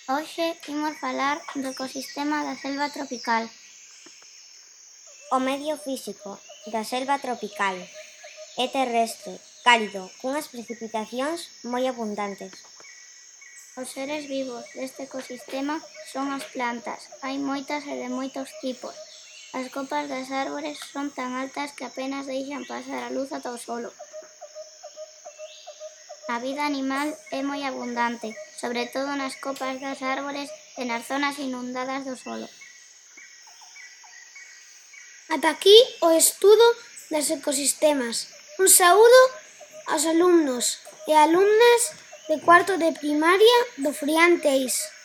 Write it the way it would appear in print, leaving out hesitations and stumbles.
Hoxe imos falar do ecosistema da selva tropical. O medio físico da selva tropical é terrestre, cálido, cunhas precipitacións moi abundantes. Os seres vivos deste ecosistema son as plantas. Hai moitas e de moitos tipos. As copas das árbores son tan altas que apenas deixan pasar a luz ata o solo. A vida animal é moi abundante, sobre todo nas copas das árbores e nas zonas inundadas do solo. Ata aquí o estudo dos ecosistemas. Un saúdo aos alumnos e alumnas de cuarto de primaria do Frián Teis.